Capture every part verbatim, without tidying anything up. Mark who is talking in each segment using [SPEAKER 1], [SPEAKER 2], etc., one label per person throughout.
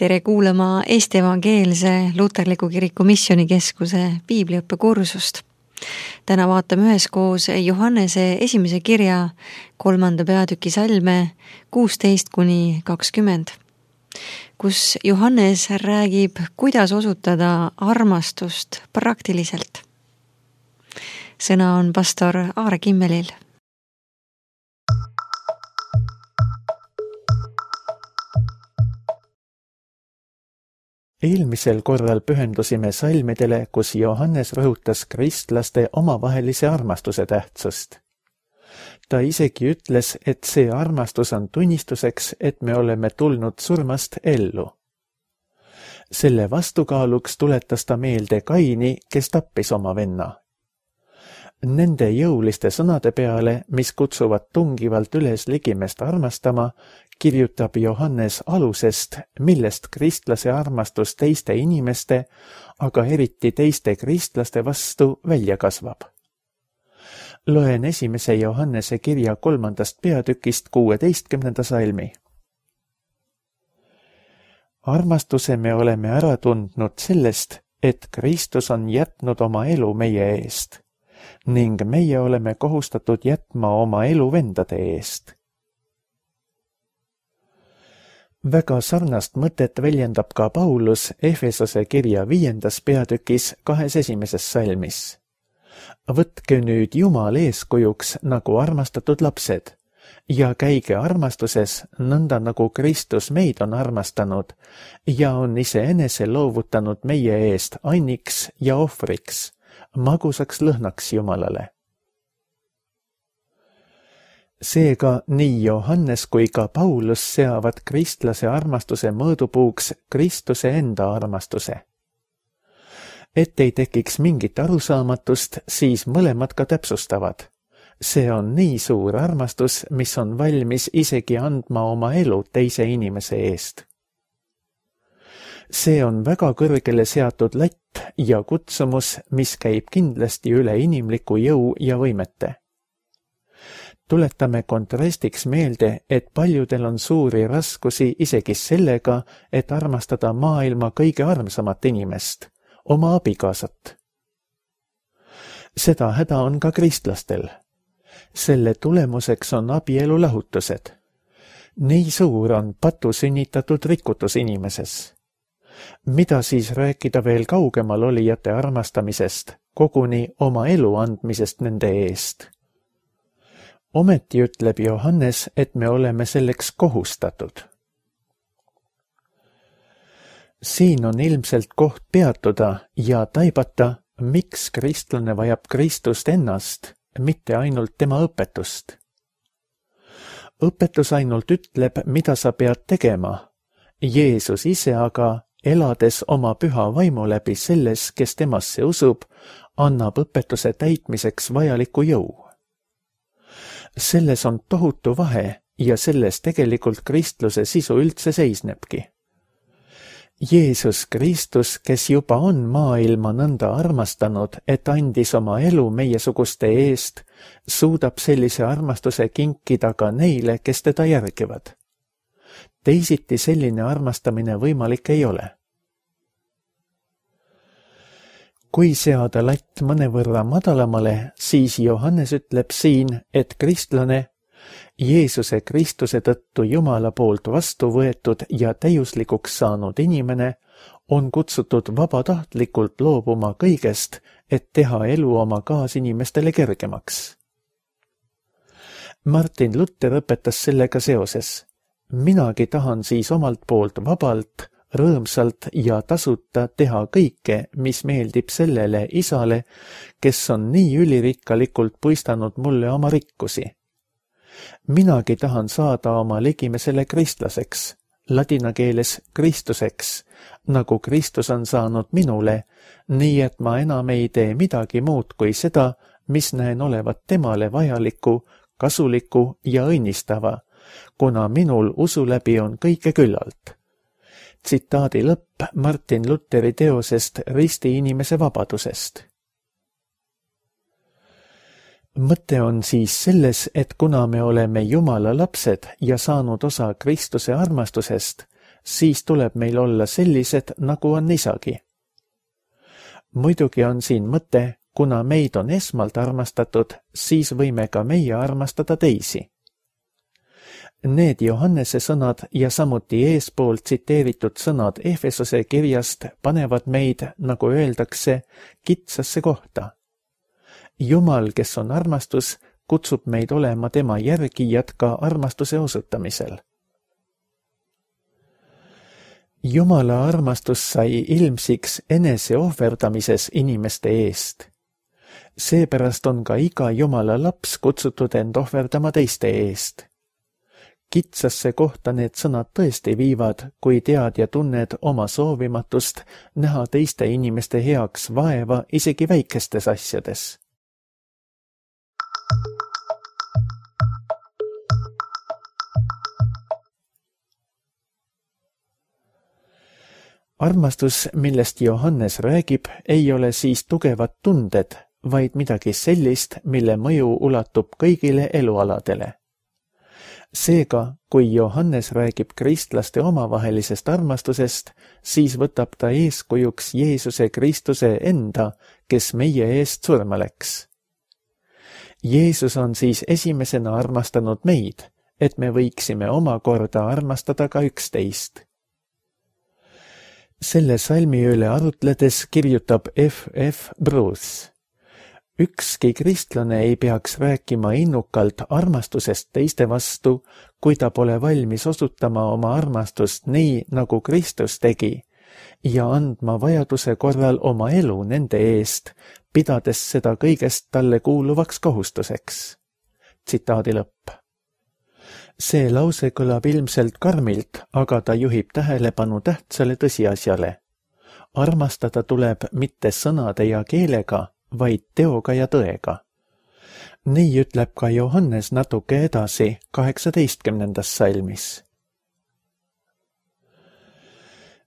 [SPEAKER 1] Tere kuulama Eesti Evangeelse Luterliku Kiriku Missioonikeskuse piibliõppekursust. Täna vaatame üheskoos Johannese esimese kirja kolmanda peatüki salme kuusteist kuni kakskümmend, kus Johannes räägib, kuidas osutada armastust praktiliselt. Sõna on pastor Aare Kimmelil.
[SPEAKER 2] Eelmisel korral pühendusime salmidele, kus Johannes rõhutas kristlaste omavahelise armastuse tähtsust. Ta isegi ütles, et see armastus on tunnistuseks, et me oleme tulnud surmast ellu. Selle vastukaaluks tuletas ta meelde Kaini, kes tappis oma venna. Nende jõuliste sõnade peale, mis kutsuvad tungivalt üles ligimest armastama, kirjutab Johannes alusest, millest kristlase armastus teiste inimeste, aga eriti teiste kristlaste vastu välja kasvab. Loen esimese Johannese kirja kolmandast peatükist kuueteistkümnenda salmi. Armastuse me oleme ära tundnud sellest, et Kristus on jätnud oma elu meie eest, ning meie oleme kohustatud jätma oma elu vendade eest. Väga sarnast mõtet väljendab ka Paulus Efesose kirja viiendas peatükis kahes esimeses salmis. Võtke nüüd Jumal eeskujuks nagu armastatud lapsed ja käige armastuses nõnda nagu Kristus meid on armastanud ja on iseenese loovutanud meie eest anniks ja ohvriks, magusaks lõhnaks Jumalale. Seega nii Johannes kui ka Paulus seavad kristlase armastuse mõõdupuuks Kristuse enda armastuse. Et ei tekiks mingit arusaamatust, siis mõlemad ka täpsustavad. See on nii suur armastus, mis on valmis isegi andma oma elu teise inimese eest. See on väga kõrgele seatud latt ja kutsumus, mis käib kindlasti üle inimliku jõu ja võimete. Tuletame kontrastiks meelde, et paljudel on suuri raskusi isegi sellega, et armastada maailma kõige armsamat inimest, oma abikaasat. Seda häda on ka kristlastel. Selle tulemuseks on abielu lahutused. Nii suur on patu sünnitatud rikutus inimeses. Mida siis rääkida veel kaugemal olijate armastamisest, koguni oma elu andmisest nende eest? Ometi ütleb Johannes, et me oleme selleks kohustatud. Siin on ilmselt koht peatuda ja taibata, miks kristlane vajab Kristust ennast, mitte ainult tema õpetust. Õpetus ainult ütleb, mida sa pead tegema. Jeesus ise aga, elades oma püha vaimu läbi selles, kes temasse usub, annab õpetuse täitmiseks vajaliku jõu. Selles on tohutu vahe ja selles tegelikult kristluse sisu üldse seisnebki. Jeesus Kristus, kes juba on maailma nõnda armastanud, et andis oma elu meiesuguste eest, suudab sellise armastuse kinkida ka neile, kes teda järgivad. Teisiti selline armastamine võimalik ei ole. Kui seada latt mõnevõrra madalamale, siis Johannes ütleb siin, et kristlane, Jeesuse Kristuse tõttu Jumala poolt vastu võetud ja täiuslikuks saanud inimene, on kutsutud vabatahtlikult loobuma kõigest, et teha elu oma kaasinimestele kergemaks. Martin Luther õpetas sellega seoses. Minagi tahan siis omalt poolt vabalt, rõõmsalt ja tasuta teha kõike, mis meeldib sellele isale, kes on nii ülirikkalikult puistanud mulle oma rikkusi. Minagi tahan saada oma ligimesele kristlaseks, ladina keeles Kristuseks, nagu Kristus on saanud minule, nii et ma enam ei tee midagi muud kui seda, mis näen olevat temale vajaliku, kasuliku ja õnnistava, kuna minul usu läbi on kõike küllalt. Tsitaadi lõpp Martin Lutheri teosest Risti inimese vabadusest. Mõte on siis selles, et kuna me oleme Jumala lapsed ja saanud osa Kristuse armastusest, siis tuleb meil olla sellised, nagu on isagi. Muidugi on siin mõte, kuna meid on esmalt armastatud, siis võime ka meie armastada teisi. Need Johannese sõnad ja samuti eespool tsiteeritud sõnad Efesose kirjast panevad meid, nagu öeldakse, kitsasse kohta. Jumal, kes on armastus, kutsub meid olema tema järgijad ka armastuse osutamisel. Jumala armastus sai ilmsiks enese ohverdamises inimeste eest. Seepärast on ka iga Jumala laps kutsutud end ohverdama teiste eest. Kitsasse kohta need sõnad tõesti viivad, kui tead ja tunned oma soovimatust näha teiste inimeste heaks vaeva isegi väikestes asjades. Armastus, millest Johannes räägib, ei ole siis tugevad tunded, vaid midagi sellist, mille mõju ulatub kõigile elualadele. Seega, kui Johannes räägib kristlaste omavahelisest armastusest, siis võtab ta eeskujuks Jeesuse Kristuse enda, kes meie eest surma läks. Jeesus on siis esimesena armastanud meid, et me võiksime omakorda armastada ka üksteist. Selle salmi üle arutledes kirjutab F F Bruce. Ükski kristlane ei peaks rääkima innukalt armastusest teiste vastu, kui ta pole valmis osutama oma armastust nii, nagu Kristus tegi, ja andma vajaduse korral oma elu nende eest, pidades seda kõigest talle kuuluvaks kohustuseks. Tsitaadi lõpp. See lause kõlab ilmselt karmilt, aga ta juhib tähelepanu tähtsale tõsiasjale. Armastada tuleb mitte sõnade ja keelega, vaid teoga ja tõega. Nii ütleb ka Johannes natuke edasi kaheksateistkümnendas salmis.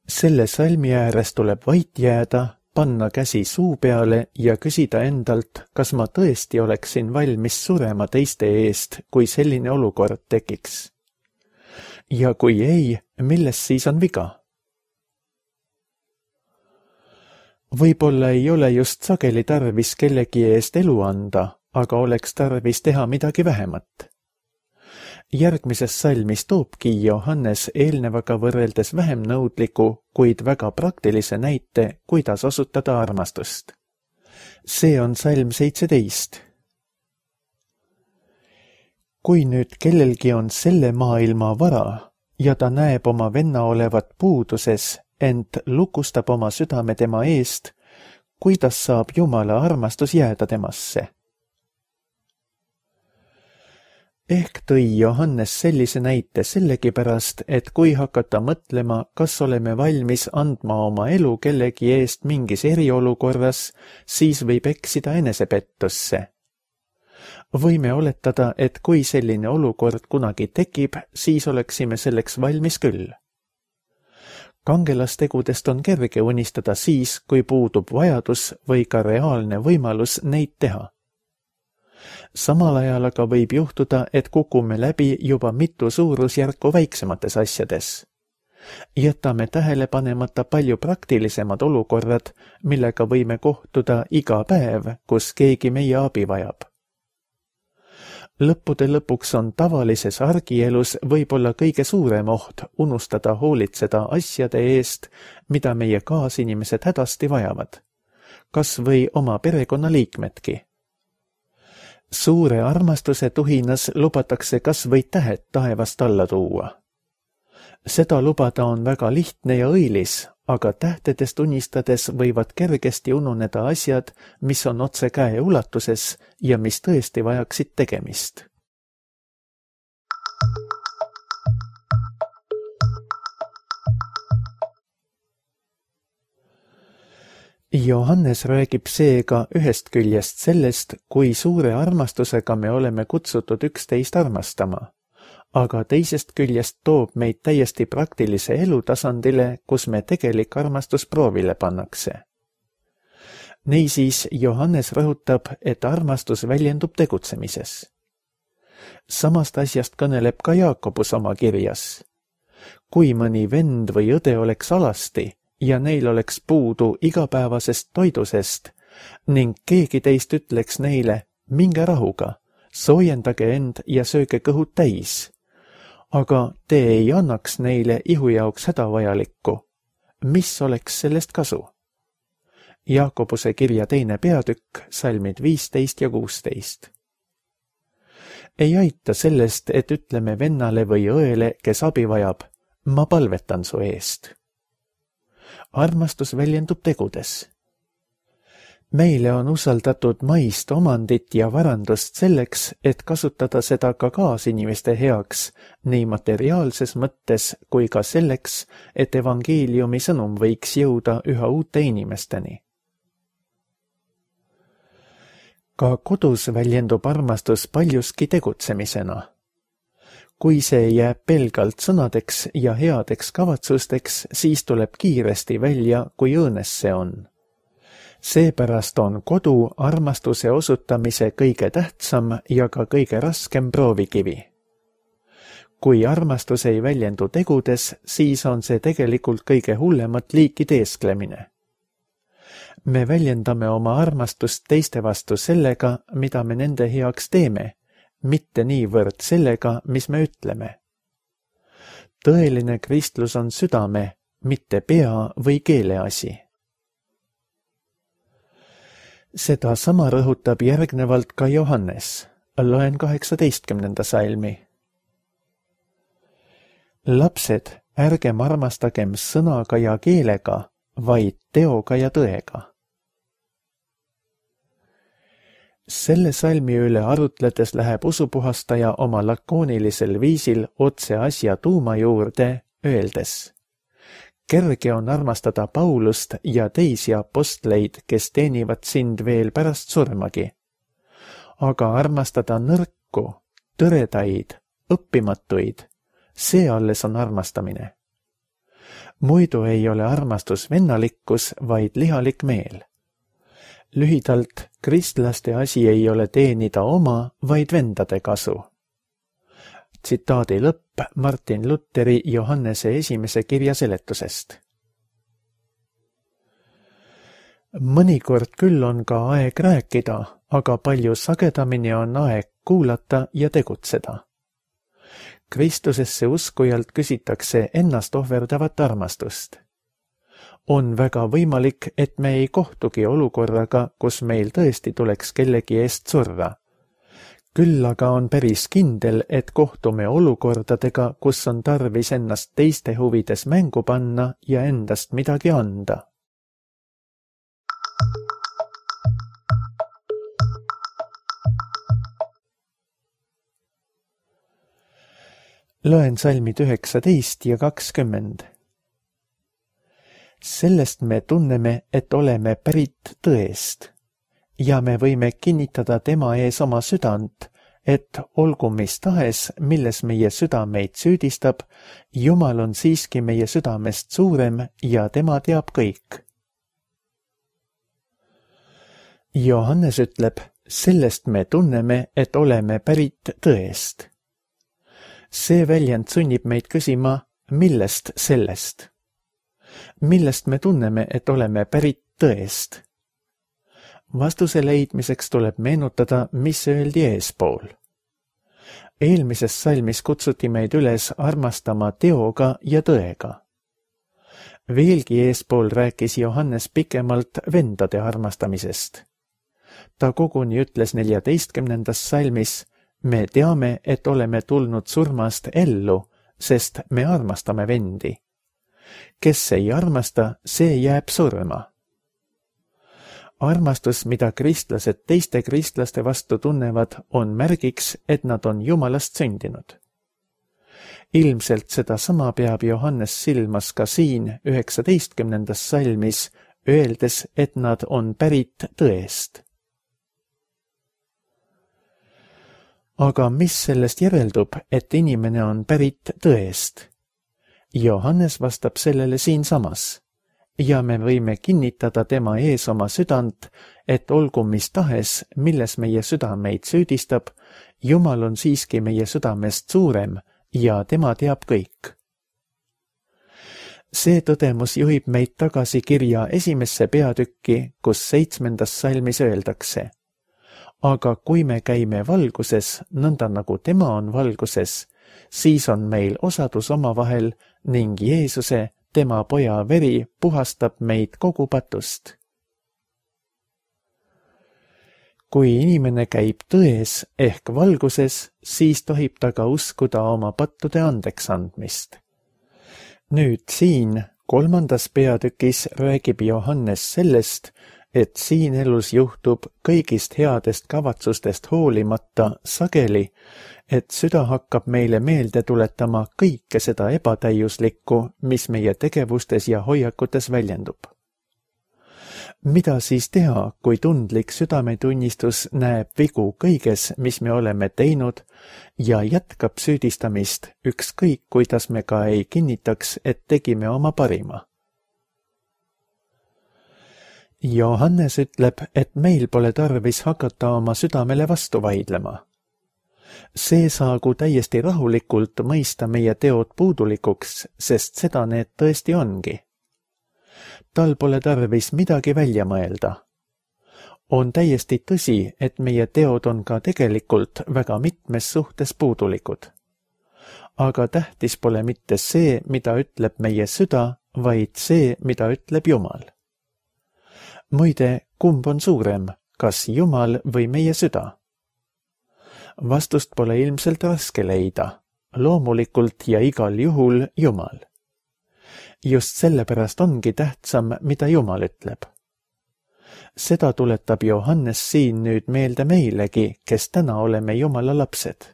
[SPEAKER 2] Selle salmi ääres tuleb vait jääda, panna käsi suu peale ja küsida endalt, kas ma tõesti oleksin valmis surema teiste eest, kui selline olukord tekiks. Ja kui ei, milles siis on viga? Võib-olla ei ole just sageli tarvis kellegi eest elu anda, aga oleks tarvis teha midagi vähemat. Järgmises salmis toobki Johannes eelnevaga võrreldes vähem nõudliku, kuid väga praktilise näite, kuidas osutada armastust. See on salm seitseteist. Kui nüüd kellelgi on selle maailma vara ja ta näeb oma venna olevat puuduses, ent lukustab oma südame tema eest, kuidas saab Jumala armastus jääda temasse? Ehk tõi Johannes sellise näite sellegipärast, et kui hakata mõtlema, kas oleme valmis andma oma elu kellegi eest mingis eriolukorras, siis võib eksida enesepettusse. Võime oletada, et kui selline olukord kunagi tekib, siis oleksime selleks valmis küll. Kangelastegudest on kerge unistada siis, kui puudub vajadus või ka reaalne võimalus neid teha. Samal ajal aga võib juhtuda, et kukume läbi juba mitu suurusjärku väiksemates asjades. Jätame tähele panemata palju praktilisemad olukorrad, millega võime kohtuda iga päev, kus keegi meie abi vajab. Lõppude lõpuks on tavalises argielus võib-olla kõige suurem oht unustada hoolitseda asjade eest, mida meie kaasinimesed hädasti vajavad, kas või oma perekonnaliikmedki. Suure armastuse tuhinas lubatakse kas või tähed taevast alla tuua. Seda lubada on väga lihtne ja õilis, aga tähtedest unistades võivad kergesti ununeda asjad, mis on otse käe ulatuses ja mis tõesti vajaksid tegemist. Johannes räägib seega ühest küljest sellest, kui suure armastusega me oleme kutsutud üksteist armastama, aga teisest küljest toob meid täiesti praktilise elutasandile, kus me tegelik armastus proovile pannakse. Niisiis Johannes rõhutab, et armastus väljendub tegutsemises. Samast asjast kõneleb ka Jaakobus oma kirjas. kui mõni vend või õde oleks alasti ja neil oleks puudu igapäevasest toidusest ning keegi teist ütleks neile, minge rahuga, soojendage end ja sööge kõhud täis. Aga te ei annaks neile ihu jaoks hädavajalikku. Mis oleks sellest kasu? Jaakobuse kirja teine peatükk, salmid viisteist ja kuusteist. Ei aita sellest, et ütleme vennale või õele, kes abi vajab, ma palvetan su eest. Armastus väljendub tegudes. Meile on usaldatud maist omandit ja varandust selleks, et kasutada seda ka kaasinimeste heaks, nii materiaalses mõttes kui ka selleks, et evangeeliumi sõnum võiks jõuda üha uute inimesteni. Ka kodus väljendub armastus paljuski tegutsemisena. Kui see jääb pelgalt sõnadeks ja headeks kavatsusteks, siis tuleb kiiresti välja, kui õõnes see on. Seepärast on kodu armastuse osutamise kõige tähtsam ja ka kõige raskem proovikivi. Kui armastus ei väljendu tegudes, siis on see tegelikult kõige hullemat liiki teesklemine. Me väljendame oma armastust teiste vastu sellega, mida me nende heaks teeme, mitte niivõrd sellega, mis me ütleme. Tõeline kristlus on südame, mitte pea või keele asi. Seda sama rõhutab järgnevalt ka Johannes. Loen kaheksateistkümnenda salmi. Lapsed, ärgem armastagem sõnaga ja keelega, vaid teoga ja tõega. Selle salmi üle arutledes läheb usupuhastaja oma lakoonilisel viisil otse asja tuuma juurde, öeldes: kerge on armastada Paulust ja teisi apostleid, kes teenivad sind veel pärast surmagi. Aga armastada nõrku, tõredaid, õppimatuid, see alles on armastamine. Muidu ei ole armastus vennalikkus, vaid lihalik meel. Lühidalt, kristlaste asi ei ole teenida oma, vaid vendade kasu. Tsitaadi lõpp Martin Lutheri Johannese esimese kirja seletusest. Mõnikord küll on ka aeg rääkida, aga palju sagedamini on aeg kuulata ja tegutseda. Kristusesse uskujalt küsitakse ennast ohverdavat armastust. On väga võimalik, et me ei kohtugi olukorraga, kus meil tõesti tuleks kellegi eest surra. Küll aga on päris kindel, et kohtume olukordadega, kus on tarvis ennast teiste huvides mängu panna ja endast midagi anda. Loen salmid üheksateist ja kakskümmend. Sellest me tunneme, et oleme pärit tõest ja me võime kinnitada tema ees oma südant, et olgu mis tahes, milles meie südameid süüdistab, Jumal on siiski meie südamest suurem ja tema teab kõik. Johannes ütleb, sellest me tunneme, et oleme pärit tõest. See väljend sunnib meid küsima, millest sellest? Millest me tunneme, et oleme pärit tõest? Vastuse leidmiseks tuleb meenutada, mis öeldi eespool. Eelmises salmis kutsuti meid üles armastama teoga ja tõega. Veelgi eespool rääkis Johannes pikemalt vendade armastamisest. Ta koguni ütles neljateistkümnendas salmis, me teame, et oleme tulnud surmast ellu, sest me armastame vendi. Kes ei armasta, see jääb surma. Armastus, mida kristlased teiste kristlaste vastu tunnevad, on märgiks, et nad on Jumalast sündinud. Ilmselt seda sama peab Johannes silmas ka siin üheksateistkümnendas salmis, öeldes, et nad on pärit tõest. Aga mis sellest järeldub, et inimene on pärit tõest? Johannes vastab sellele siinsamas. Ja me võime kinnitada tema ees oma südant, et olgu mis tahes, milles meie südameid süüdistab, Jumal on siiski meie südamest suurem ja tema teab kõik. see tõdemus juhib meid tagasi kirja esimesse peatükki, kus seitsmendas salmis öeldakse: aga kui me käime valguses, nõnda nagu tema on valguses, siis on meil osadus omavahel ning Jeesuse, tema poja veri, puhastab meid kogu patust. Kui inimene käib tões ehk valguses, siis tohib ta ka uskuda oma pattude andeks andmist. Nüüd siin, kolmandas peatükis räägib Johannes sellest, et siin elus juhtub kõigist headest kavatsustest hoolimata sageli, et süda hakkab meile meelde tuletama kõike seda ebatäiuslikku, mis meie tegevustes ja hoiakutes väljendub. Mida siis teha, kui tundlik südametunnistus näeb vigu kõiges, mis me oleme teinud ja jätkab süüdistamist, ükskõik kuidas me ka ei kinnitaks, et tegime oma parima? Johannes ütleb, et meil pole tarvis hakata oma südamele vastu vaidlema. See saagu täiesti rahulikult mõista meie teod puudulikuks, sest seda need tõesti ongi. Tal pole tarvis midagi välja mõelda. On täiesti tõsi, et meie teod on ka tegelikult väga mitmes suhtes puudulikud. Aga tähtis pole mitte see, mida ütleb meie süda, vaid see, mida ütleb Jumal. Muide, kumb on suurem, kas Jumal või meie süda? Vastust pole ilmselt raske leida, loomulikult ja igal juhul Jumal. Just sellepärast ongi tähtsam, mida Jumal ütleb. Seda tuletab Johannes siin nüüd meelde meilegi, kes täna oleme Jumala lapsed.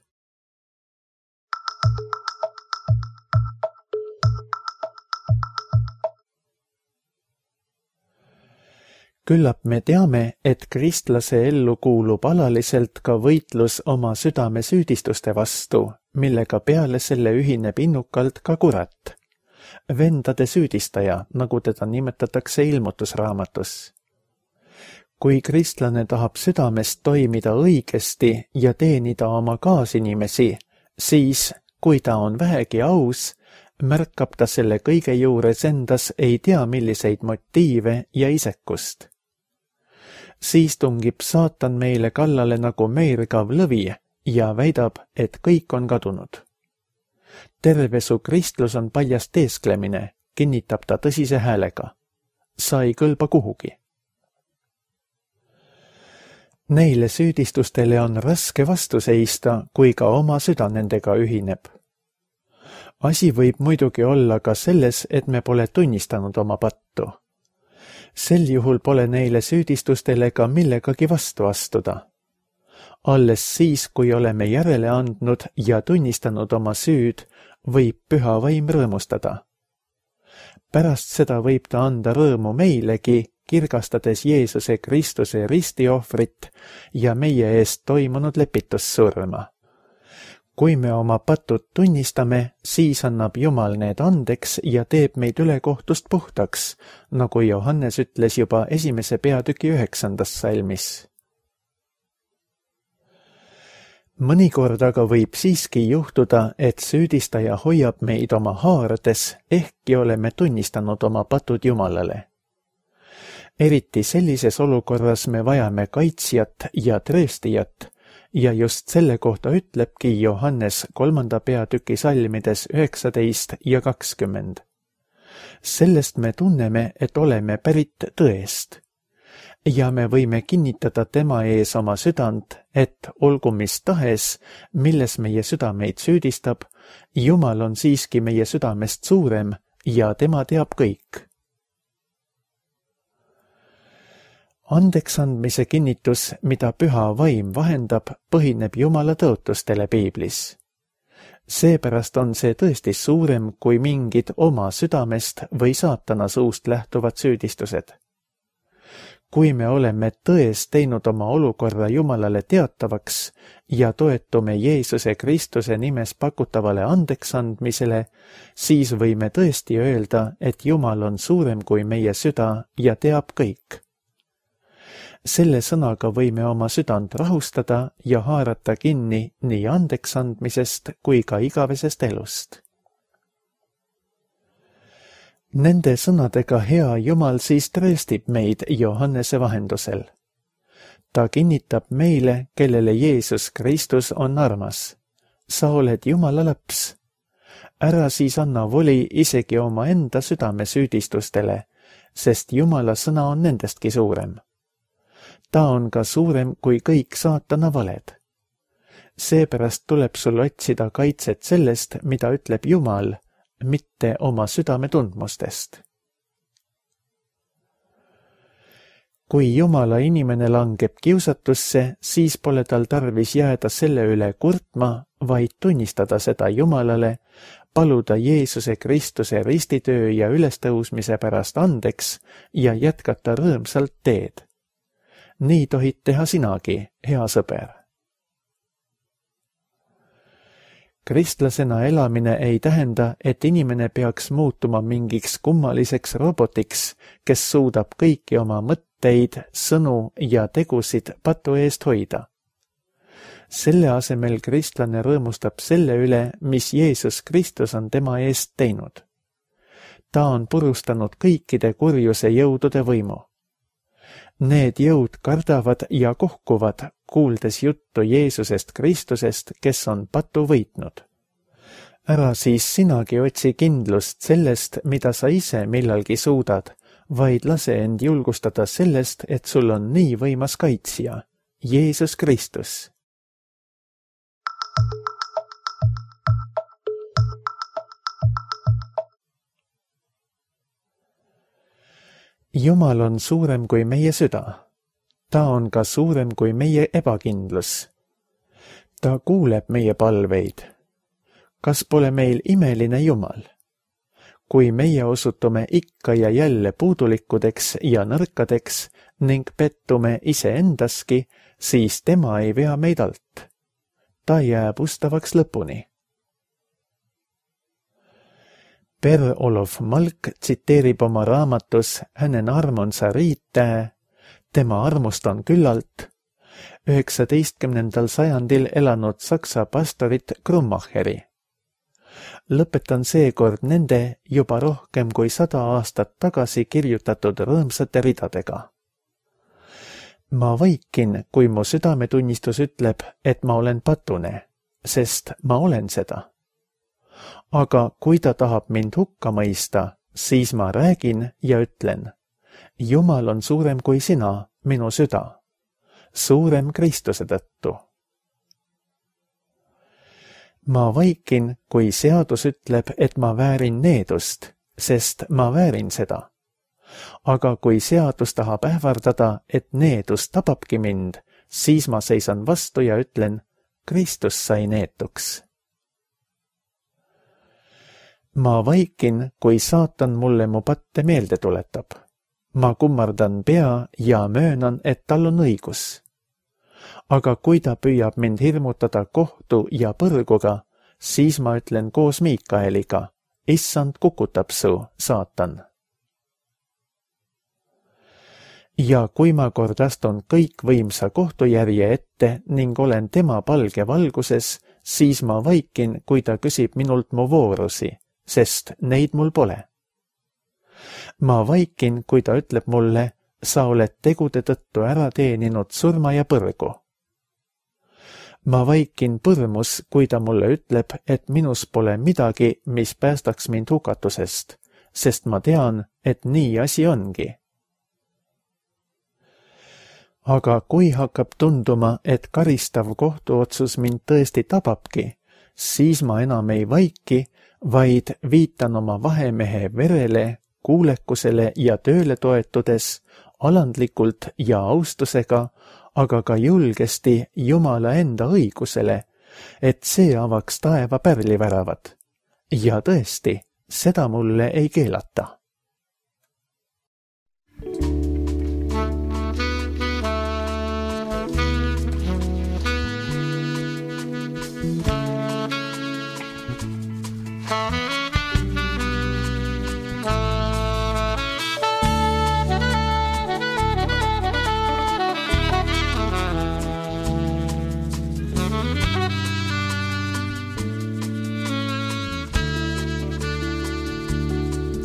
[SPEAKER 2] Küllap me teame, et kristlase ellu kuulub alaliselt ka võitlus oma südame süüdistuste vastu, millega peale selle ühineb innukalt ka kurat. Vendade süüdistaja, nagu teda nimetatakse ilmutusraamatus. Kui kristlane tahab südamest toimida õigesti ja teenida oma kaasinimesi, siis, kui ta on vähegi aus, märkab ta selle kõige juures endas ei tea milliseid motiive ja isekust. Siis tungib saatan meile kallale nagu meirgav lõvi ja väidab, et kõik on kadunud. Terve su kristlus on paljast teesklemine, kinnitab ta tõsise häälega. Sa ei kõlba kuhugi. Neile süüdistustele on raske vastu seista, kui ka oma süda nendega ühineb. Asi võib muidugi olla ka selles, et me pole tunnistanud oma pattu. Sel juhul pole neile süüdistustele ka millegagi vastu astuda. Alles siis, kui oleme järele andnud ja tunnistanud oma süüd, võib püha vaim rõõmustada. Pärast seda võib ta anda rõõmu meilegi, kirgastades Jeesuse Kristuse ristiohvrit ja meie eest toimunud lepitussurma. Kui me oma patud tunnistame, siis annab Jumal need andeks ja teeb meid ülekohtust puhtaks, nagu Johannes ütles juba esimese peatüki üheksandas salmis. Mõnikord aga võib siiski juhtuda, et süüdistaja hoiab meid oma haarades, ehkki oleme tunnistanud oma patud Jumalale. Eriti sellises olukorras me vajame kaitsjat ja trööstijat, ja just selle kohta ütlebki Johannes kolmanda peatüki salmides üheksateist ja kakskümmend. Sellest me tunneme, et oleme pärit tõest. Ja me võime kinnitada tema ees oma südant, et olgu mis tahes, milles meie süda meid süüdistab, Jumal on siiski meie südamest suurem ja tema teab kõik. Andeksandmise kinnitus, mida püha vaim vahendab, põhineb Jumala tõotustele piiblis. Seepärast on see tõesti suurem kui mingid oma südamest või saatana suust lähtuvad süüdistused. Kui me oleme tões teinud oma olukorra Jumalale teatavaks ja toetume Jeesuse Kristuse nimes pakutavale andeksandmisele, siis võime tõesti öelda, et Jumal on suurem kui meie süda ja teab kõik. Selle sõnaga võime oma südant rahustada ja haarata kinni nii andeksandmisest kui ka igavesest elust. Nende sõnadega hea Jumal siis trööstib meid Johannese vahendusel. Ta kinnitab meile, kellele Jeesus Kristus on armas. Sa oled Jumala laps. Ära siis anna voli isegi oma enda südame süüdistustele, sest Jumala sõna on nendestki suurem. Ta on ka suurem kui kõik saatana valed. Seepärast tuleb sul otsida kaitset sellest, mida ütleb Jumal, mitte oma südame tundmustest. Kui Jumala inimene langeb kiusatusse, siis pole tal tarvis jääda selle üle kurtma, vaid tunnistada seda Jumalale, paluda Jeesuse Kristuse ristitöö ja ülestõusmise pärast andeks ja jätkata rõõmsalt teed. Nii tohid teha sinagi, hea sõber. Kristlasena elamine ei tähenda, et inimene peaks muutuma mingiks kummaliseks robotiks, kes suudab kõiki oma mõtteid, sõnu ja tegusid patu eest hoida. Selle asemel kristlane rõõmustab selle üle, mis Jeesus Kristus on tema eest teinud. Ta on purustanud kõikide kurjuse jõudude võimu. Need jõud kardavad ja kohkuvad, kuuldes juttu Jeesusest Kristusest, kes on patu võitnud. Ära siis sinagi otsi kindlust sellest, mida sa ise millalgi suudad, vaid lase end julgustada sellest, et sul on nii võimas kaitsja, Jeesus Kristus. Jumal on suurem kui meie süda. Ta on ka suurem kui meie ebakindlus. Ta kuuleb meie palveid. Kas pole meil imeline Jumal? Kui meie osutume ikka ja jälle puudulikkudeks ja nõrkadeks ning pettume iseendaski, siis tema ei vea meid alt. Ta jääb ustavaks lõpuni. Per-Olof Malk tsiteerib oma raamatus Hänen armonsa riittää, tema armust on küllalt, üheksateistkümnendal sajandil elanud saksa pastorit Krummacheri. Lõpetan seekord nende juba rohkem kui sada aastat tagasi kirjutatud rõõmsate ridadega. Ma vaikin, kui mu südametunnistus ütleb, et ma olen patune, sest ma olen seda. Aga kui ta tahab mind hukka mõista, siis ma räägin ja ütlen, Jumal on suurem kui sina, minu süda, suurem Kristuse tõttu. Ma vaikin, kui seadus ütleb, et ma väärin needust, sest ma väärin seda. Aga kui seadus tahab ähvardada, et needus tababki mind, siis ma seisan vastu ja ütlen, Kristus sai neetuks. Ma vaikin, kui saatan mulle mu patte meelde tuletab. Ma kummardan pea ja möönan, et tal on õigus. Aga kui ta püüab mind hirmutada kohtu ja põrguga, siis ma ütlen koos Miikaeliga, issand kukutab su, saatan. Ja kui ma kord astun kõikvõimsa kohtujärje ette ning olen tema palge valguses, siis ma vaikin, kui ta küsib minult mu voorusi, sest neid mul pole. Ma vaikin, kui ta ütleb mulle, sa oled tegude tõttu ära teeninud surma ja põrgu. Ma vaikin põrmus, kui ta mulle ütleb, et minus pole midagi, mis päästaks mind hukatusest, sest ma tean, et nii asi ongi. Aga kui hakkab tunduma, et karistav kohtuotsus mind tõesti tababki, siis ma enam ei vaiki, vaid viitan oma vahemehe verele, kuulekusele ja tööle toetudes, alandlikult ja austusega, aga ka julgesti Jumala enda õigusele, et see avaks taeva pärliväravad. Ja tõesti, seda mulle ei keelata.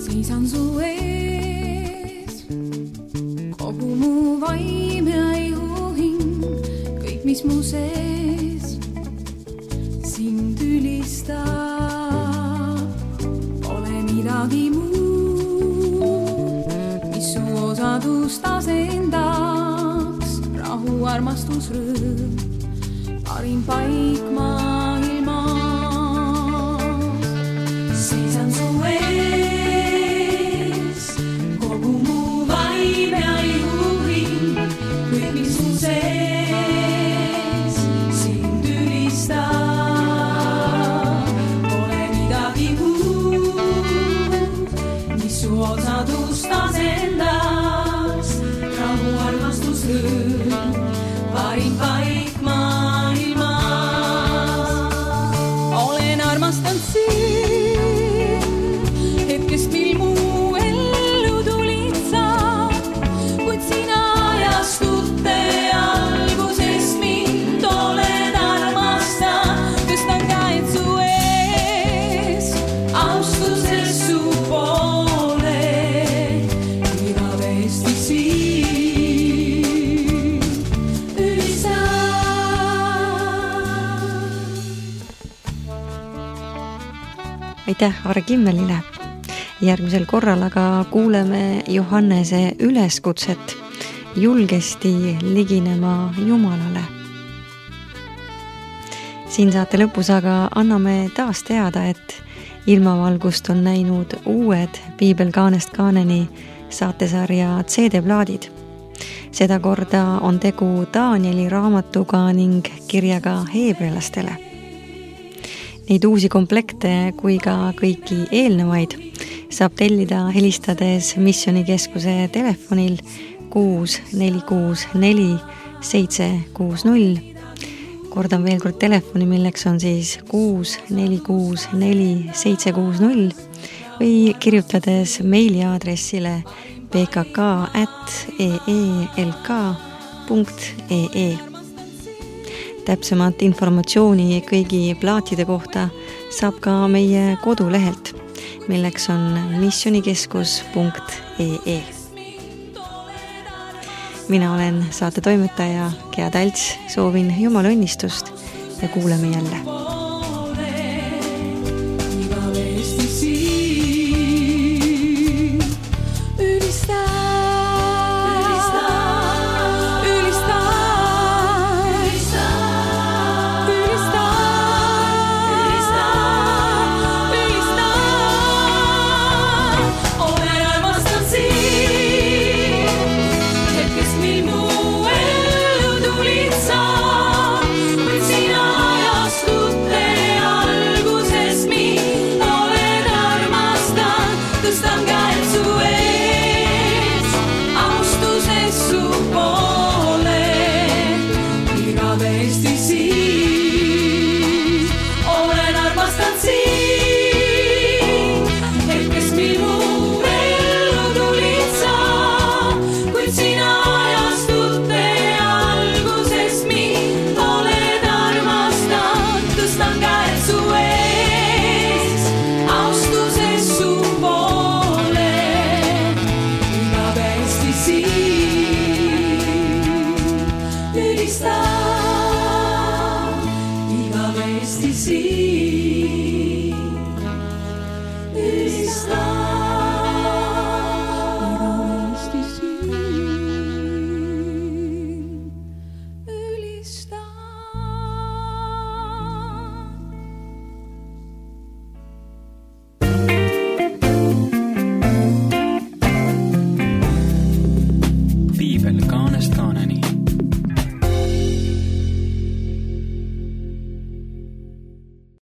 [SPEAKER 3] Seisan kogu mu vaim ja ihuhing, kõik, mis mu sees sind ülistab, ole midagi muud, mis su osadust asendaks, rahu, armastus, rõõm, parim paik maailmas. Seisan su ees, kogu mu vaim ja ihuhing, kõik, mis mu sees sind ülistab, ole midagi muud, mis su osadust asendaks, rahu, armastus, rõõm, parim paik maailmas. Olen armastanud sind hetkest, mil mu ellu tulid sa, kuid sina ajastute alguses mind oled armastanud. Tõstan käed su ees, austuses su poole, igavesti siin ülistan.
[SPEAKER 1] Aitäh Aare Kimmelile. Järgmisel korral aga kuuleme Johannese üleskutset julgesti liginema Jumalale. Siin saate lõpus aga anname taas teada, et ilmavalgust on näinud uued Piibel kaanest kaaneni saatesarja C D-plaadid. Seda korda on tegu Danieli raamatuga ning kirjaga heebrealastele. Neid uusi komplekte kui ka kõiki eelnevaid saab tellida helistades Missionikeskuse telefonil kuus neli kuus neli seitse kuus null. Kordan veel kord telefoni, milleks on siis kuus neli kuus neli seitse kuus null või kirjutades meiliaadressile p k k at e e l k punkt e e. Täpsemat informatsiooni kõigi plaatide kohta saab ka meie kodulehelt, milleks on missionikeskus punkt e e. Mina olen saate toimetaja Gea Talts, soovin Jumala õnnistust ja kuuleme jälle.
[SPEAKER 3] Igavesti siin ülistan.